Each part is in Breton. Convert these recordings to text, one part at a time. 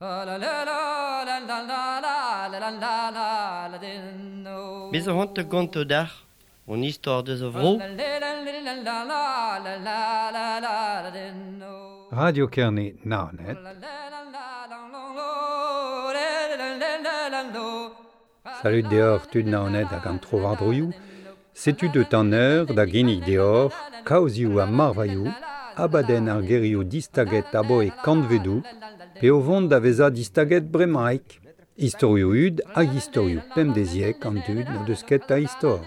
Me zo c'hoant da gontañ deoc'h hon istor deus a vro. Radio Kerne Naoned. Salud deoc'h tud Naoned hag an trowardroioù. Setu deut an eur da ginnig deoc'h kaozioù ha marvailhoù, abadenn ar gerioù distaget aboe kantvedoù, pe o vont da vezañ distaget bremaik. Istorioù hud hag istorioù pemdeziek an dud n'o deus ket a istor.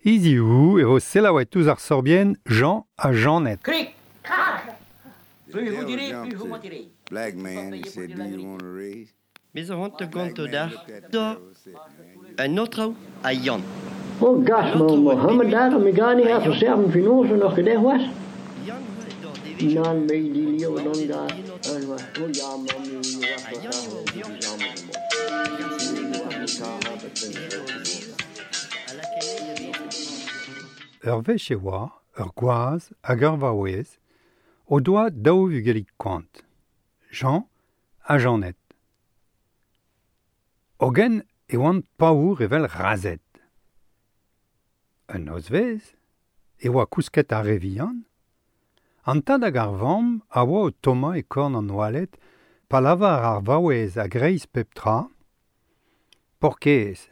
Hiziv e vo selaouet ouzh ar sorbienn Jean ha Jeannette. Krik, krak! Plus vous direz, plus vous mentirez. Black man, he said, do you want a raise? Me zo c'hoant da Black gontañ man deoc'h looked at the da girl and said, man, you un aotrou ha Yann. Oh gas, An ma aotrou a Mohammed bep daar, me ga niet ha even Yann. serven finozen nog gedaan was. Yann eo d'ar devezhioù. Nan, me die leeuw dan An daar. aotrou. En was, oh ja, man, nu was Ha dat Yann daar, eo die Yann. samen Hag ar Nu senegoù was a ik daar, vez heb ik edo een o zez a lakae a vez. Ur wech e oa, ur gwaz hag ur vaouez, o doa daou vugelig koant. Jean ha Jeannette. Hogen e oant paour evel razed. Un nozvezh e oa kousket ar re vihan, an tad hag ar vamm a oa o tommañ e korn an oaled pa lavar ar vaouez a-greiz pep tra, Paourkaezh,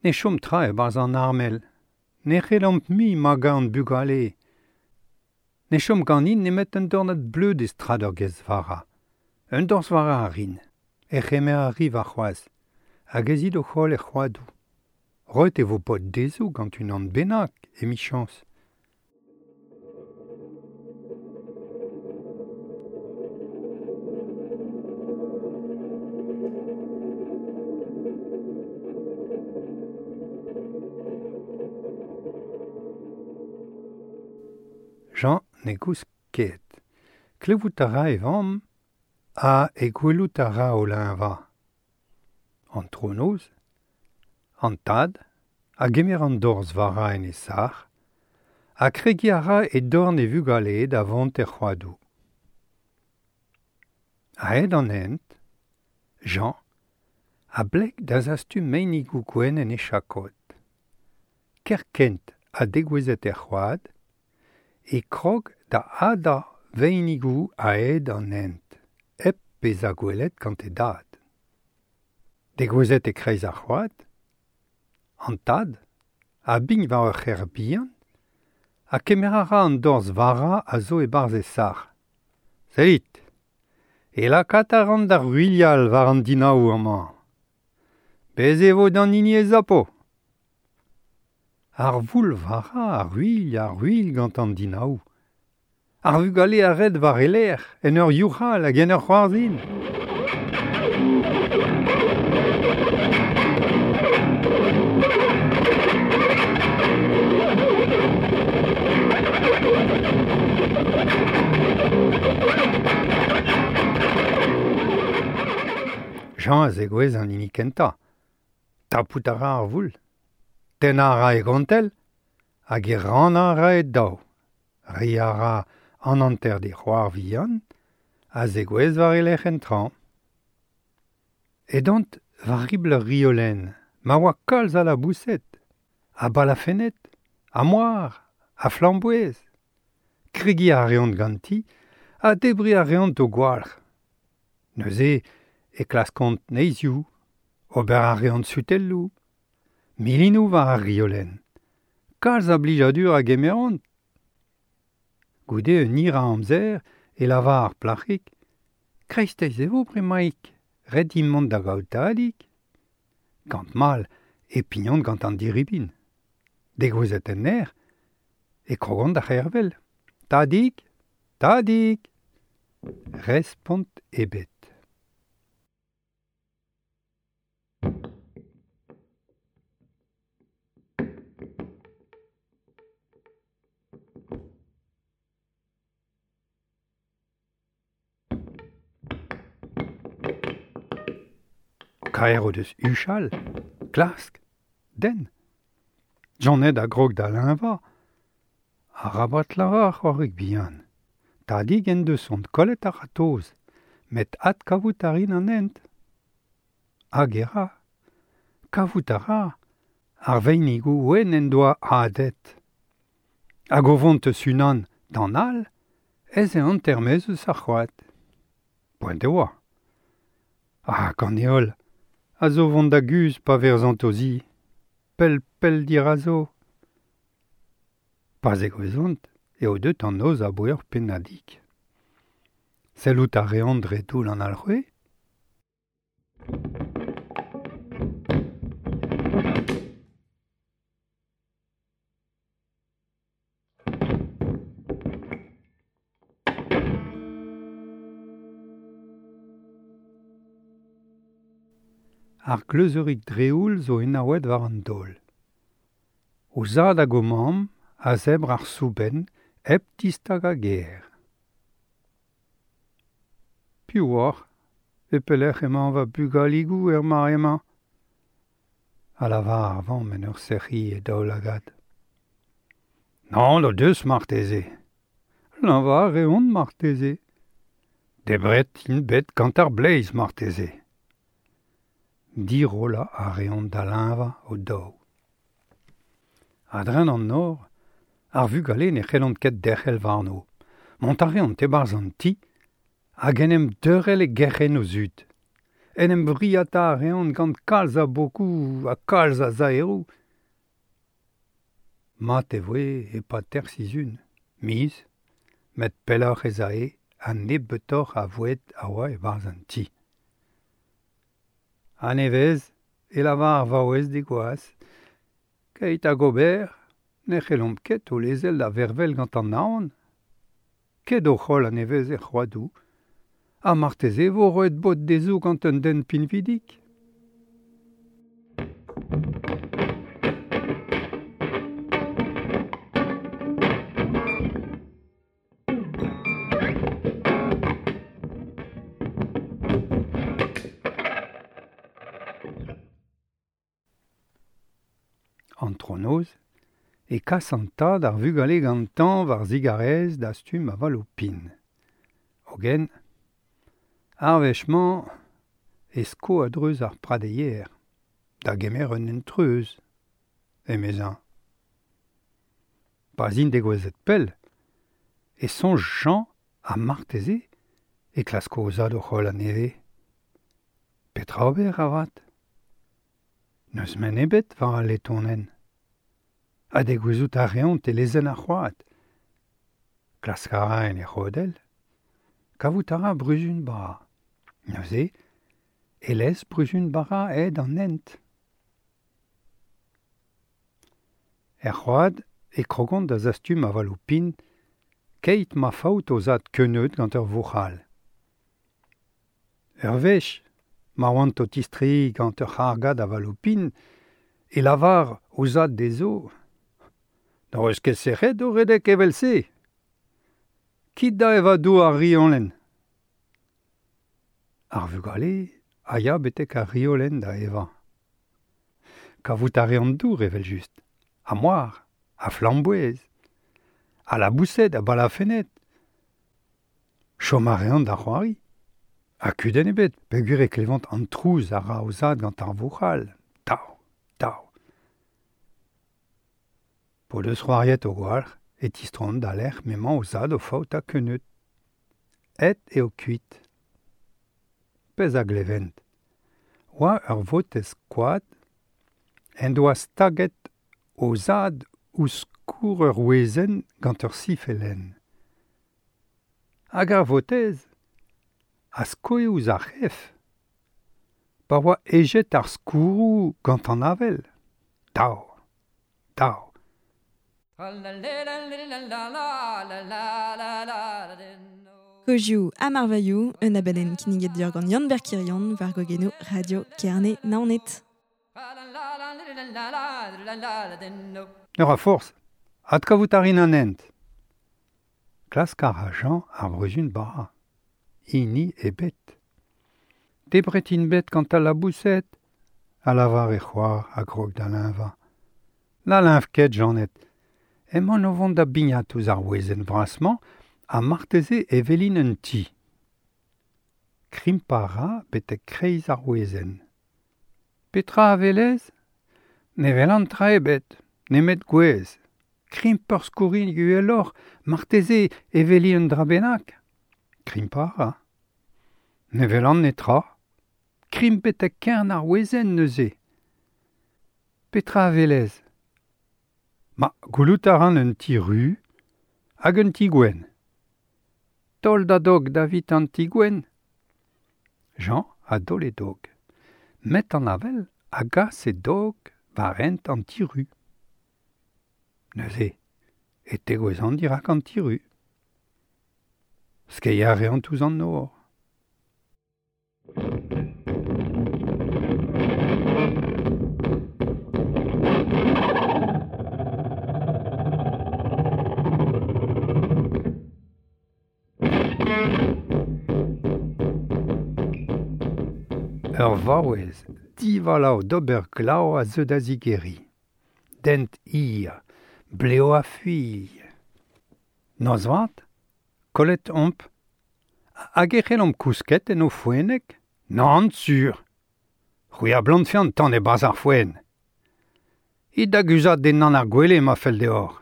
ne chom tra e-barzh an armel, ne c'hellomp mui magañ an bugale. Ne chom ganin nemet un dornad bleud e strad ur gez vara. Un dorzh vara a rin, e c'hemer a ri warc'hoazh, hag ez it o c'holl er c'hoadoù. Roet e vo pod dezho gant unan bennak, emichañs. Jean ne gousk ket. Klevout a ra e vamm ha e gwelout a ra o leñvañ. An tronoz, an tad, a gemer an dorzh vara en e sac'h, ha kregiñ a ra e dorn e vugale da vont er c'hoadoù. A-hed an hent, Jean a bleg da zastum meinigoù gwenn en e chakod. Kerkent ha degouezhet er c'hoad, e krog da hadañ veinigoù a-hed an hent, hep bezañ gwelet gant e dad. Degouezhet e-kreiz ar c'hoad, an tad a bign war ur c'her bihan ha kemer a ra an dorzh vara a zo e-barzh e sac'h. Sellit, e lakaat a ran da ruilhal war an dinaou amañ. Bez e vo d'an hini e zapo. Ar voul vara a ruilh a ruilh gant an dinaou. Ar vugale a red war e lerc'h, en ur youc'hal hag en ur c'hoarzhin. Jean a zegouezh an hini kentañ. Tapout a ra ar voul. Tennañ a ra e gontell hag e rannañ a ra e daou. Reiñ a ra an hanter d'e c'hoar vihan a zegouezh war e lerc'h en traoñ. Edont war ribl ur riolenn, ma oa kalz a laboused, a balafenned, a moar, a flamboez. Kregiñ a reont ganti ha debriñ a reont o gwalc'h. Neuze e klaskont neizhioù, ober a reont sutelloù, milinoù war ar riolenn. Kalz a blijadur a gemeront. Goude un hir a amzer e lavar ar plac'hig, kreisteiz e vo bremaik, ret int mont da gaout tadig. Gant mall e pignont gant an diribin. Degouezhet en aer, e krogont da c'hervel. Tadig, tadig. Respont ebet. Kaer o deus huchal, klask, den. Jeannette a grog da leñvañ. Arabat lavar c'hoarig bihan. Tadig en deus ont kollet ar ratoz, met ad kavout a rin an hent. Hag e ra. Kavout a ra. Ar veinigou oen en doa adet. Hag o vont eus unan d'an all, ez e an termez eus ar c'hoad. Poent e oa. Ah, gant heol, a zo vont da guz pa verzant o zi. Pell pell dirazo. Pa zegouezont, eo deut an noz a boer pennadig. Sellout a reont dre toull an alc'hwez. Ar kleuzeurig dreoul zo enaouet war an daol. O zad hag o mamm a zebr ar soubenn hep distagañ ger. Piv oc'h e pelec'h emañ va bugaligoù er mare-mañ ? A lavar ar vamm en ur sec'hiñ e daoulagad. Nann o deus marteze. Leñvañ a reont marteze. Debret int bet gant ar bleiz marteze. Dirollañ a reont da leñvañ o daou. A-dreñv an nor, ar vugale ne c'hellont ket derc'hel warno. Mont a reont e-barzh an ti hag en em deurel e gerc'henn o zud. En em vriata a reont gant kalz a bokoù ha kalz a zaeroù. Mat e voe e-pad teir sizhun, miz, met pelloc'h ez ae ha nebeutoc'h a voued a oa e-barzh an ti. A-nevez e lavar ar vaouez d'he gwaz, keit hag ober, ne c'hellomp ket o lezel da vervel gant an naon. Ket o c'holl a-nevez er c'hoadoù, ha marteze vo roet bod dezho gant un den pinvidik. Antronoz e kas an tad ar vugale gantañ war zigarez dastum avaloù pin. Hogen, ar wech-mañ e sko a-dreuz ar pradeier, da gemer un hent-treuz, emezañ. Pa 'z int degouezhet pell, e soñj Jean ha marteze e klasko o zad o c'holl a-nevez. Petra ober avat ? N'eus men ebet war al letonenn. Ha degouezhout a reont e lezenn ar c'hoad. Klask a ra en e c'hodell. Kavout a ra bruzun bara. Neuze e lez bruzun bara aet an hent. Er c'hoad e krogont da zastum avaloù pin keit ma faot o zad keuneud gant ur vouc'hal. Ur wech, ma oant o tistreiñ gant ur c'hargad avaloù pin, e lavar o zad dezho N'hoc'h eus ket sec'hed o redek evel-se. Kit da evañ dour ar riolenn. Ar vugale a ya betek ar riolenn da evañ. Kavout a reont dour evel-just, ha moar, ha flamboez, ha laboused ha balafenned. Chom a reont da c'hoari. Ha kudenn ebet, peogwir e klevont an trouz a ra o zad gant ar vouc'hal. Tav, tav. P'o deus c'hoariet o gwalc'h e tistroont da lec'h m'emañ o zad o faotañ keuneud. Aet eo kuit. Pezh a glevent. Oa ur votez koad en doa staget o zad ouzh skourr ur wezenn gant ur sifelenn. Hag ar votez a skoe ouzh ar c'hef pa oa hejet ar skourroù gant an avel. Tav, tav. Kozioù ha marvailhoù, un abadenn kinniget deoc'h gant Yann-Ber Kirion war gogennoù Radio Kerne Naoned. Ne ra forzh, adkavout a rin an hent. Klask a ra Jean ar bruzun bara. Hini ebet. Debret int bet gant al laboused, a lavar e c'hoar a grog da leñvañ. Na leñv ket, Jeannette. Emaon o vont da bignat ouzh ar wezenn vras-mañ ha marteze e welin un ti. Krimpañ a ra betek kreiz ar wezenn. Petra a welez ? Ne welan tra ebet, nemet gwez. Krimp ur skourrig uheloc'h, marteze e weli un dra bennak. Krimpañ a ra. Ne welan netra. Krimp betek kern ar wezenn neuze. Petra a welez ? Ma, gwelout a ran un ti ruz hag un ti gwenn. Taol da dog davit an ti gwenn. Jean a daol e dog. Met an avel a gas e dog war hent an ti ruz. Neuze e tegouezhan dirak an ti ruz. Skeiñ a reont ouzh an nor. Ur vaouez divalav d'ober glav a zeu da zigeriñ. Dent hir, blev a-fuilh. Noz vat, kollet omp. Hag e c'hellomp kousket en ho foenneg ? Nann sur ! C'hwi a blantfe an tan e-barzh ar foenn. It da guzhat dindan ar gwele ma fell deoc'h.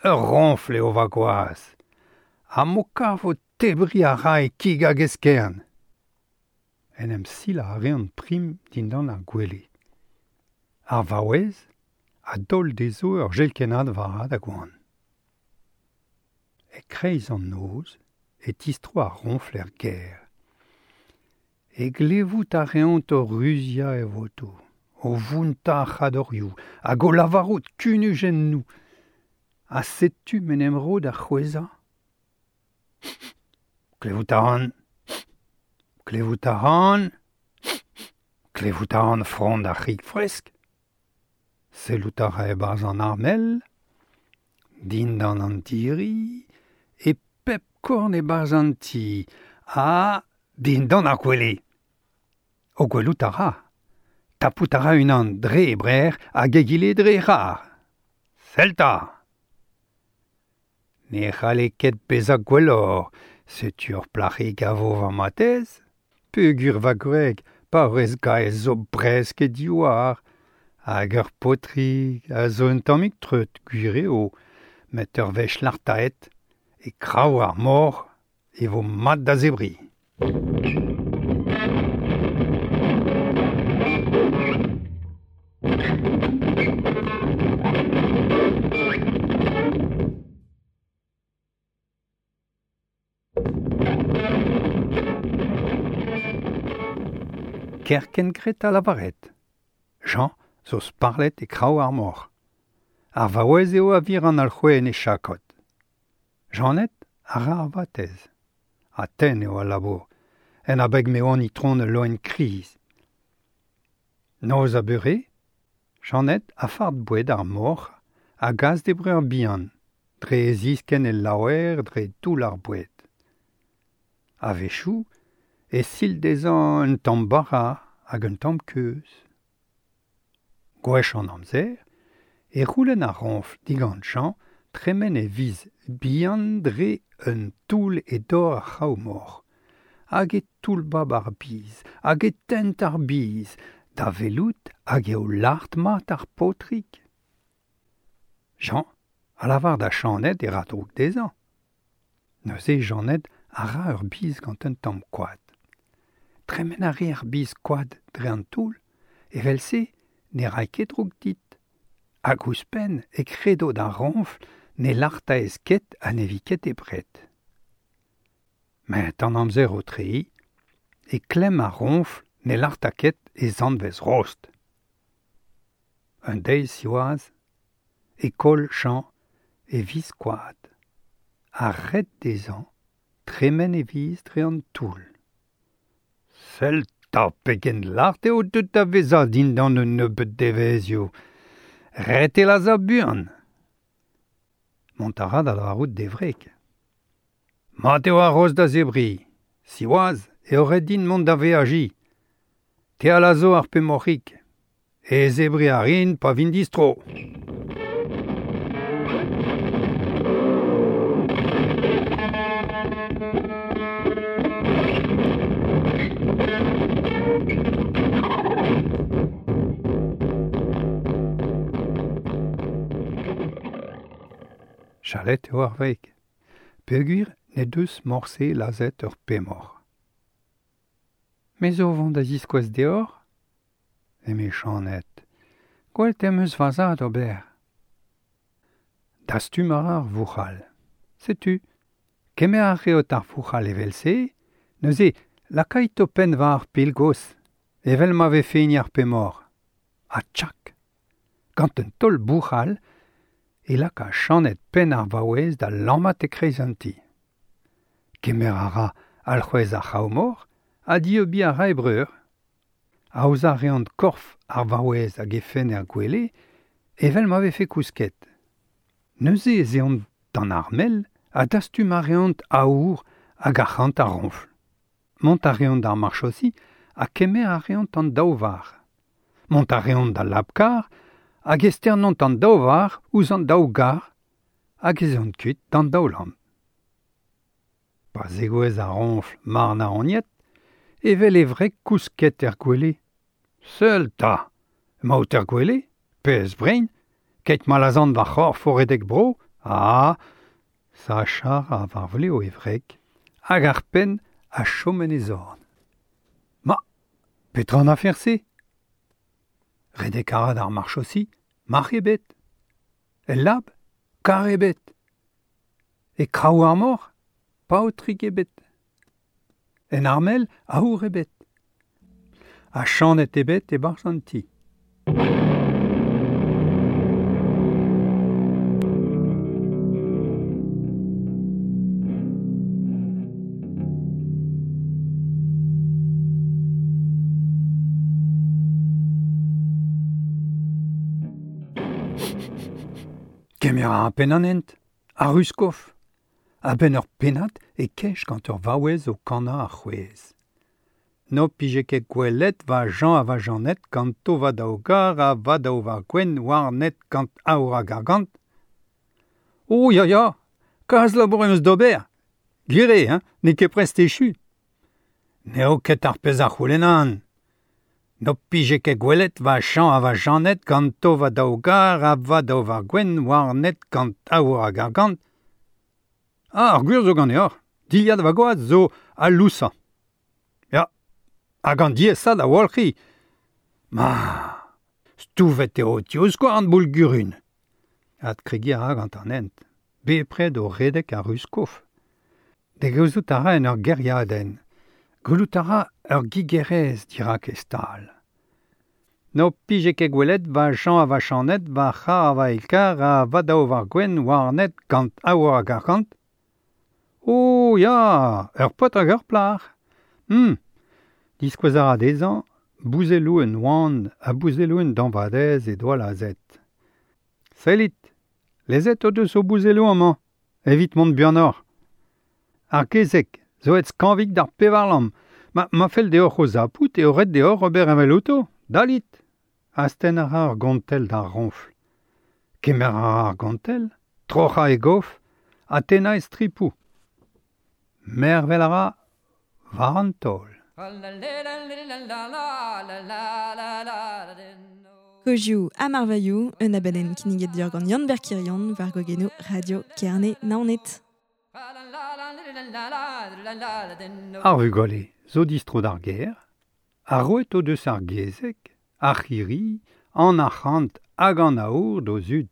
Ur roñfl eo va gwaz. Ha m'ho kavo tebriñ a ray kig hag eskern. En em silañ a reont prim dindan ar gwele. Ar vaouez a daol dezho ur jelkennad vara da goan. E-kreiz an noz e tistro ar roñfl er gêr. E glevout a reont o ruziañ e votoù, o vountañ ar c'hadorioù hag o lavarout kunujennoù. Ha setu m'en em ro da c'hwezhañ. Klevout a ran. Klevout a ran. Klevout a ran frond ar c'hig fresk. Sellout a ra e-barzh an armel, dindan an diri, e pep korn e-barzh an ti, ha dindan ar gwele. O gwelout a ra. Tapout a ra unan dre e brec'h hag egile dre e c'har. Sell 'ta ! Ne c'halle ket bezañ gwelloc'h, setu ur plac'hig a vo va matezh. Peogwir va gwreg, paourez gaezh zo bresk he divhar, hag ur paotrig a zo un tammig treut, gwir eo, met ur wech lartaet, e kraou ar mor e vo mat da zebriñ. Kerkent graet ha lavaret. Jean zo sparlet e kraou ar mor. Ar vaouez eo a vir an alc'hwez en e chakod. Janed a ra ar vatezh. Ha tenn eo al labour, en abeg m'eo an itron ul loen kriz. Noz ha beure, Janed a fard boued ar moc'h a gas d'he breur bihan, dre e ziskenn el laouer dre toull ar boued. A-wechoù e sil dezhañ un tamm bara hag un tamm keuz. Gwech an amzer e c'houlenn ar roñfl digant Jean tremen e viz bihan dre un toull e dor ar c'hraou-moc'h, hag e toullbab ar biz, hag e tent ar biz, da welout hag eo lart-mat ar paotrig. Jean a lavar da Janed e ra droug dezhañ. Neuze Janed a ra ur biz gant un tamm koad. Tremen a ri ar biz koad dre an toull, evel-se ne ray ket droug dit. Hag ouzhpenn e kredo d'ar roñfl ne lartaez ket ha ne vi ket debret. Met an amzer o treiñ, e klemm ar roñfl ne larta ket e zanvez rost. Un deiz siwazh e koll Jean e viz koad ha ret dezhañ tremen e viz dre an toull. Sell 'ta pegen lart eo deuet da vezañ dindan un nebeud devezhioù. Ret eo lazhañ buan. Mont a ra da lavarout d'e wreg. Mat eo ar roz da zebriñ. Siwazh eo ret din mont da veajiñ. Te a lazho ar pemoc'hig. E zebriñ a rin pa vin distro. Chalet eo ar wreg. Peogwir ne deus morse lazhet ur pemoc'h. Me zo vont da ziskouez deoc'h eme Janed. Gwellt em eus va zad ober. Dastum a ra ar vouc'hal. Setu, kemer a reot ar vouc'hal evel-se, neuze lakait ho penn war ar pilgos, evel ma vefe hini ar pemoc'h. Ha tchak! Gant un taol bouc'hal, e laka Janed penn ar vaouez da lammat e-kreiz an ti. Kemer a ra alc'hwez ar c'hav-mor ha dieubiñ a ra e breur. Aozañ a reont korf ar vaouez hag he fenn er gwele evel ma vefe kousket. Neuze ez eont d'an armel ha dastum a reont aour hag arc'hant ar roñfl. Mont a reont d'ar marchosi ha kemer a reont an daou varc'h. Mont a reont d'al lab-karr hag e sternont an daou varc'h ouzh an daou garr hag ez eont kuit d'an daoulamm. Pa zegouezh ar roñfl marnaoniet, evel e wreg kousket er gwele. Seul 'ta ! Emaout er gwele, pezh brein, keit ma lazhan va c'horf o redek bro, ah ! Sachañ a ra war vlev e wreg, hag ar penn a chom en e zorn. Ma, petra an afer-se ? Redek a ra d'ar marchosi, marc'h ebet. El lab, karr ebet. E kraou ar mor, paotrig ebet. En armel, aour ebet. Ha Janed ebet e-barzh an ti. Kemer a ra penn an hent, ar Ruskoff. A-benn ur pennad e kej gant ur vaouez o kannañ ar c'hwez. N'ho pije ket gwelet va Jean ha va Jeannette ganto va daou gar ha va daou var gwenn warnet gant aour hag argant. Oh ya ya, kalz labour em eus d'ober. Gwir eo, hein, n'eo ket prest echu. N'eo ket ar pezh a c'houlennan. N'ho pije ket gwelet va Jean ha va Jeannette ganto va daou gar ha va daou var gwenn warnet gant aour hag argant. Ah, ar gwir zo ganeoc'h, dilhad va gwaz zo al lousañ. Ya, hag an diaesañ da walc'hiñ. Ma, stouvet eo ho tivskouarn boull-gurun. Adkregiñ a ra gant an hent, bepred o redek a-ruz-kof. Degouezhout a ra en ur gêriadenn. Gwelout a ra ur gigerez dirak e stal. N'ho pije ket gwelet va Jean ha va Janed, va c'har ha va eil-karr ha va daou var gwenn warnet gant aour hag arc'hant ? Oh ya, ur paotr hag ur plac'h. Diskouez a ra dezhañ bouzelloù un oan ha bouzelloù un dañvadez he doa lazhet. Sellit, lezet o deus o bouzelloù amañ evit mont buanoc'h. Ar kezeg zo aet skañvik d'ar pevarlamm. Ma fell deoc'h o zapout eo ret deoc'h ober evel outo. Dalit ! Astenn a ra ur gontell d'ar roñfl. Kemer a ra ar gontell, troc'hañ e gof ha tennañ e stripoù. Mervel a ra war an taol. Kozioù ha marvailhoù, un abadenn kinniget deoc'h gant Yann-Ber Kirion war gogennoù Radio Kerne Naoned. Ar vugale zo distro d'ar gêr, ha roet o deus ar gezeg, ar c'hirri, an arc'hant hag an aour d'o zud.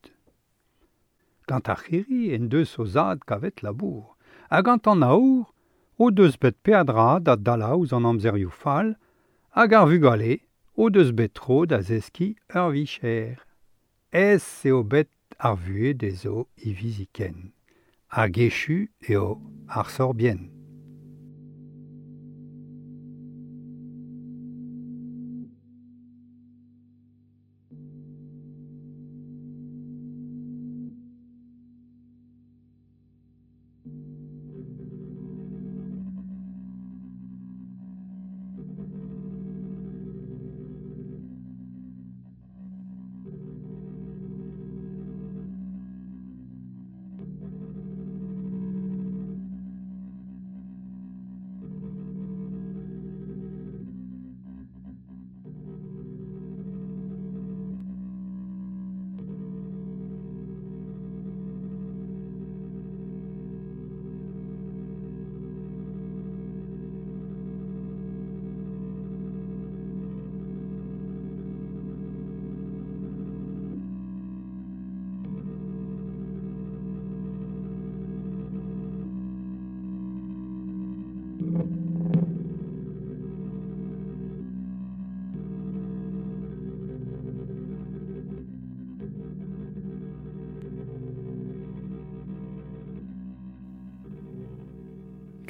Gant ar c'hirri en deus o zad kavet labour, ha gant an aour o deus bet peadra da dalañ ouzh an amzerioù fall hag ar vugale o deus bet tro da zeskiñ ur vicher. Aes eo bet ar vuhez dezho hiviziken, hag echu eo ar sorbienn.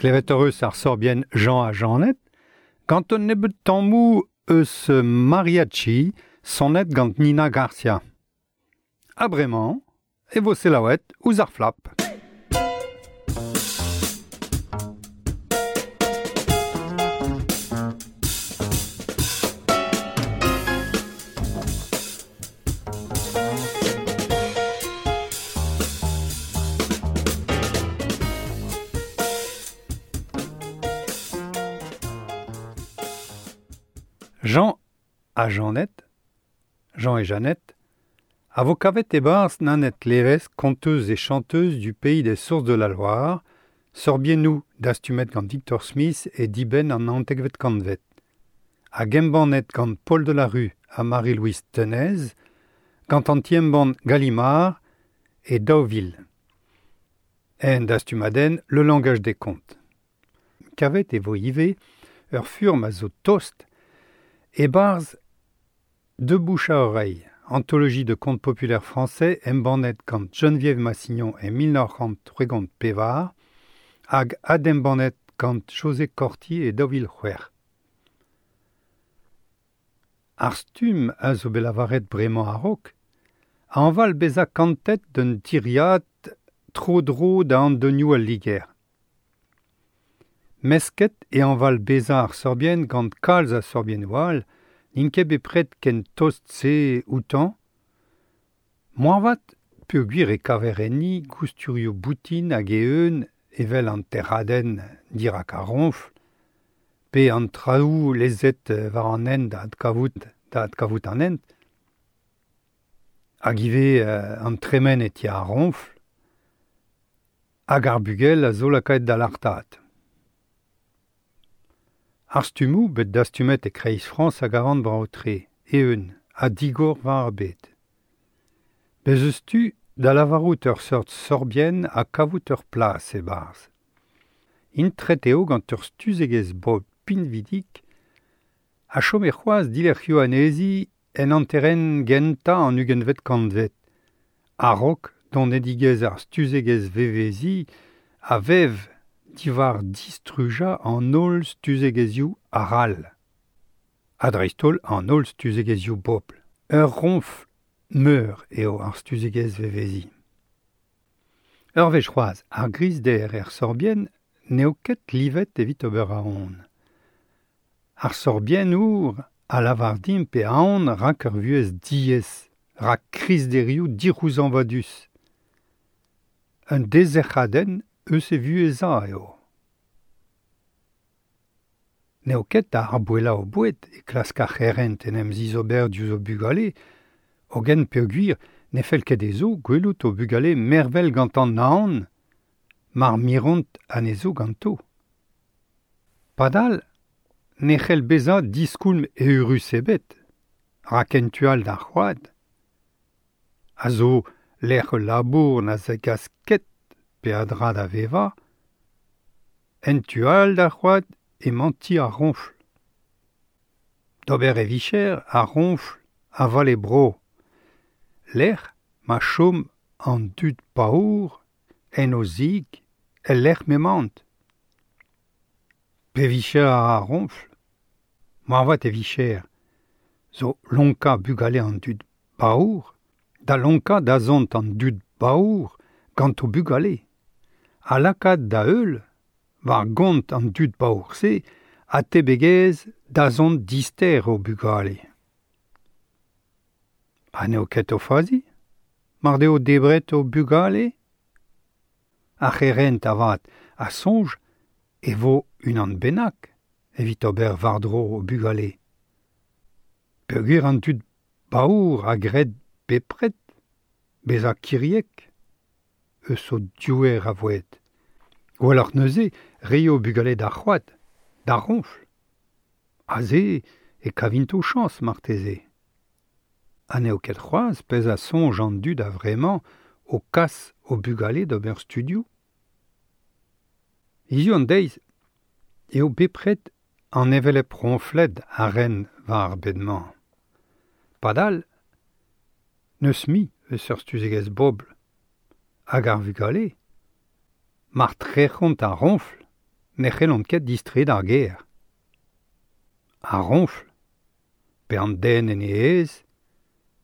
Klevet eus ar sorbien Jean ha Jeanette, gant un nebeut tammou eus mariachi sonet gant Nina Garcia. Ha bremañ, e vo selaouet ouzh ar flap. Jean ha Jeannette, Jean et Jeannette, a vo kavet e-barzh Nanette Lérez, conteuse et chanteuse du pays des sources de la Loire, sorbiennoù dastumet gant Victor Smith e dibenn an naontekvet kantved, hag embannet gant Paul Delarue ha Marie-Louise Tenez, gant an ti-embann Gallimard e daou vil. En dastumadenn Le langage des contes. Kavet e vo ivez ur furm a zo tost e-barzh De bouche à oreille, anthologie de contes populaires français embannet gant Geneviève Massignon e 1934 hag adembannet gant José Corti e 2006. Ar stumm a zo bet lavaret bremañ a-raok, a anval bezañ kantet d'un tiriad tro-dro da andonioù al Liger. Mesket e anval bezañ ar sorbien gant kalz a sorbiennoù all, n'int ket bepred ken tost-se outañ, moarvat peogwir e kaver enni gousturioù boutin hag eeun evel an terradenn dirak ar roñfl, pe an traoù lezet war an hent da adkavout an hent, hag ivez an tremen e ti ar roñfl, hag ar bugel a zo lakaet da lartaat. Ar stummoù bet dastumet e kreiz Frañs hag a ran brav-tre, eeun ha digor war ar bed. Bez eus tu da lavarout ur seurt sorbien ha kavout ur plas e-barzh. Intret eo gant ur stuzegezh bobl pinvidik ha chom e c'hoazh dilerc'hioù anezhi en hanterenn gentañ an ugentvet kantved. A-raok donedigezh ar stuzegezh veveziñ a vev diwar distrujañ an holl stuzegezhioù arall. Ha dreist-holl an holl stuzegezhioù bobl. Ur roñfl meur eo ar stuzegezh veveziñ. Ur wech c'hoazh, ar grizder er sorbien n'eo ket livet evit ober aon. Ar sorbiennour a lavar dimp e aon rak ur vuhez diaes, rak krizderioù dic'houzañvadus. Un dezerc'hadenn eus e vuhezañ eo. N'eo ket da arboellañ o boued e klask ar c'herent en em zizober diouzh o bugale, hogen peogwir ne fell ket dezho gwelout o bugale mervel gant an naon, mar miront anezho ganto. Padal ne c'hell bezañ diskoulm eürus ebet, rak en tu all d'ar c'hoad, a zo lec'h ul labour na zegas ket peadra da vevañ, en tu all d'ar c'hoad emañ ti ar roñfl. D'ober e vicher ar roñfl a vale bro. Lec'h ma chom an dud paour en o zig el lec'h m'emaint. Pe vicher ar roñfl, moarvat e vicher, zo lonkañ bugale an dud paour, da lonkañ dazont an dud paour gant o bugale, ha lakaat da heul war gont an dud paour-se ha tebegezh dazont dister o bugale. Ha n'eo ket o fazi, mar deo debret o bugale? Ar c'herent avat a soñj e vo unan bennak evit ober war-dro o bugale. Peogwir an dud paour a gred bepred bezañ kiriek eus o diouer a voued. Gwelloc'h neuze reiñ o bugale d'ar c'hoad, d'ar roñfl. Aze e kavint o chañs marteze. Ha n'eo ket c'hoazh pezh a soñj an dud a-vremañ o kas o bugale d'ober studioù. Hiziv an deiz Eo bepred an hevelep roñfled a ren war ar bed-mañ. Padal, n'eus mui eus ur stuzegezh bobl hag ar vugale. Mar trec'hont ar roñfl, ne c'hellont ket distreiñ d'ar gêr. Ar roñfl, pe an den en e aez,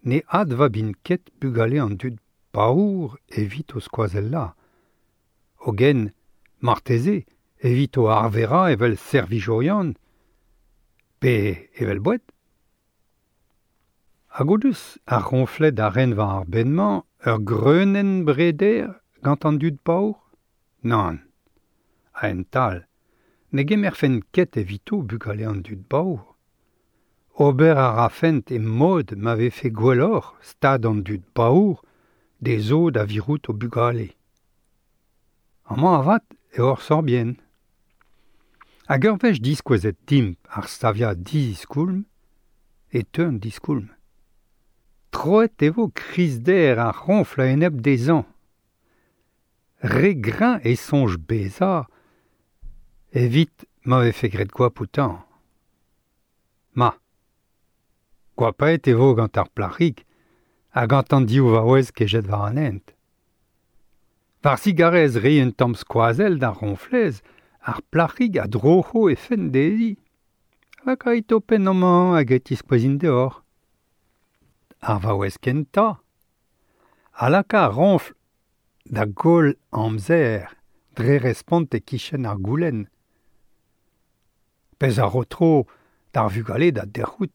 ne advabint ket bugale an dud paour evit o skoazellañ. Hogen, marteze, evit o arverañ evel servijourion, pe evel boued. Hag o deus ar roñfled a ren war ar bed-mañ ur greunenn breder gant an dud paour ? Nann. A-hent-all, ne gemerfent ket evito bugale an dud paour. Ober a rafent e mod ma vefe gwelloc'h stad an dud paour dezho da virout o bugale. Amañ avat eo ur sorbienn. Hag ur wech diskouezet dimp ar saviad diziskoulm e teu an diskoulm. Troet e vo krizder ar roñfl a-enep dezhañ. Re greñv e soñj bezañ evit ma vefe graet goap outañ. Ma, goapaet e vo gant ar plac'hig ha gant an div vaouez kejet war an hent. War zigarez reiñ un tamm skoazell d'ar roñflez, ar plac'hig a droc'ho he fenn dezhi. Lakait ho penn amañ hag e tiskouezin deoc'h. Ar vaouez kentañ a laka ar roñfl da goll amzer dre respont e-kichen ar goulenn. Pezh a ro tro d'ar vugale da dec'hout.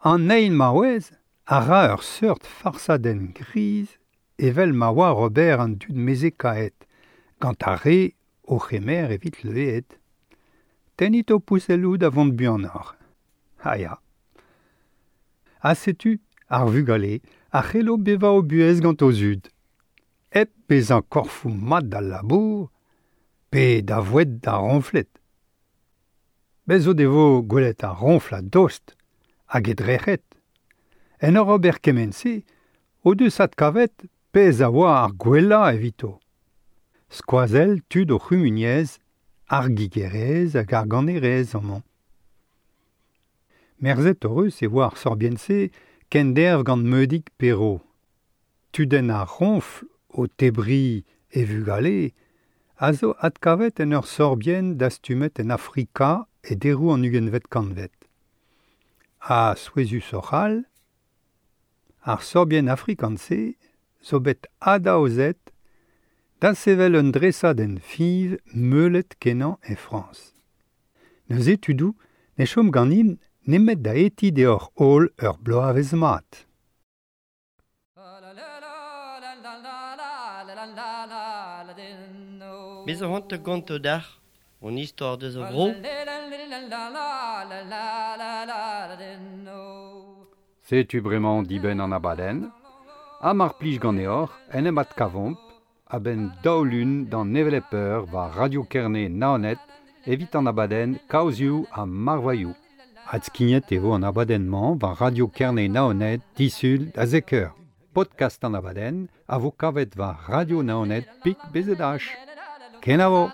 An eil maouez a ra ur seurt farsadenn griz evel ma oar ober an dud mezhekaet gant ar re o c'hemer evit leueed. Tennit ho pouselloù da vont buanoc'h. Ha ya. Ha setu ar vugale a c'hello bevañ o buhez gant o zud, hep bezañ korfoù mat d'al labour pe da voued d'ar roñfled. Bez' o devo gwelet ar roñfl a-dost hag e drec'het. En ur ober kement-se o deus adkavet pezh a oa ar gwellañ evito. Skoazell tud o c'humuniezh, ar gigerezh hag ar ganerezh amañ. Merzet hoc'h eus e oa ar sorbienn-se kenderv gant Meudig Perrot. Tudenn ar roñfl o tebriñ e vugale a zo adkavet en ur sorbienn dastumet en Afrika e deroù an ugentvet kantved. Ha souezhusoc'h all, ar sorbienn afrikan-se zo bet adaozet da sevel un dresadenn fiñv meulet-kenañ e Frañs. Neuze tudoù ne chom ganin nemet da hetiñ deoc'h holl ur bloavezh mat. Me zo c'hoant da gontañ deoc'h hon istor deus ar vro. Setu bremañ dibenn an abadenn. Ha mar plij ganeoc'h en em adkavomp a-benn daou lun d'an hevelep eur war Radio Kerne Naoned evit an abadenn Kaozioù ha Marvailhoù. Adskignet e vo an abadenn-mañ war Radio Kerne Naoned disul da zek eur. Podcast an abadenn a vo kavet war Radio Naoned pik BZH. Kenavo!